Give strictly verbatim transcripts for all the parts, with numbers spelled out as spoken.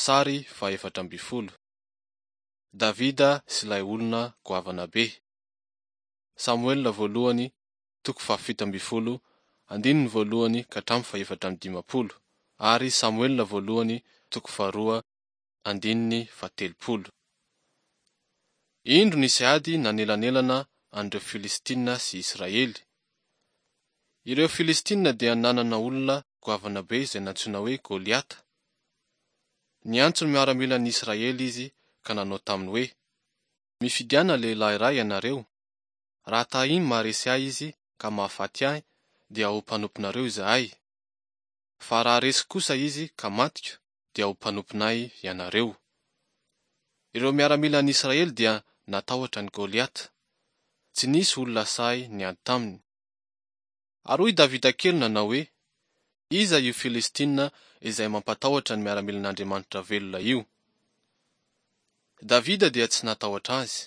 Sary fahefatra ambin'ny folo. Davida sy ilay olona goavana be. Samoela voalohany, toko fahafito ambin'ny folo, andininy voalohany ka hatramin'ny fahefatra amby dimampolo, ary Samoela voalohany, toko faharoa, andininy fahatelopolo. Indro nisy ady nanelanelana an'ireo Filistina sy Israely. Ireo Filistina dia nanana olona goavana be izay nantsoina hoe Goliata. Niantso ny miaramilan'ny Israely izy ka nanao taminy hoe: Mifidiana lehilahy iray ianareo. Raha tahiny maharesy ahy izy ka mahafaty ahy, dia ho mpanomponareo izahay. Fa raha resy kosa izy ka matiko, dia ho mpanomponay ianareo. Ireo miaramilan'ny Israely dia natahotra an'i Goliata. Tsy nisy olona sahy niady taminy. Ary hoy Davida kely nanao hoe: Iza io Filistina izay mampatahotra ny miaramilan'Andriamanitra velona io? Davida dia tsy natahotra azy.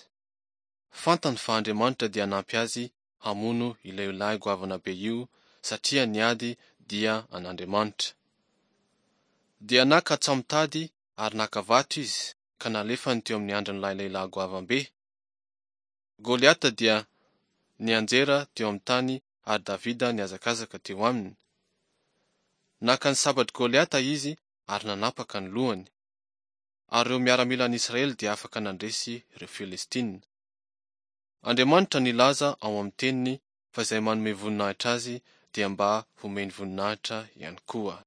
Fantany fa Andriamanitra dia hanampy azy hamono ilay lehilahy goavana be io satria ny ady dia an'Andriamanitra. Dia naka tsamontady ary naka vato izy ka nalefany teo amin'ny andrin'ilay lehilahy goavam-be. Goliata dia nianjera teo amin'ny tany ary Davida nihazakazaka teo aminy. Naka ny sabatr'i Goliata izy ary nanapaka ny lohany. Ary ireo miaramilan'Israely dia afaka nandresy ireo Filistina. Andriamanitra nilaza ao amin'ny teniny fa izay manome voninahitra azy dia mba homeny voninahitra ihany koa.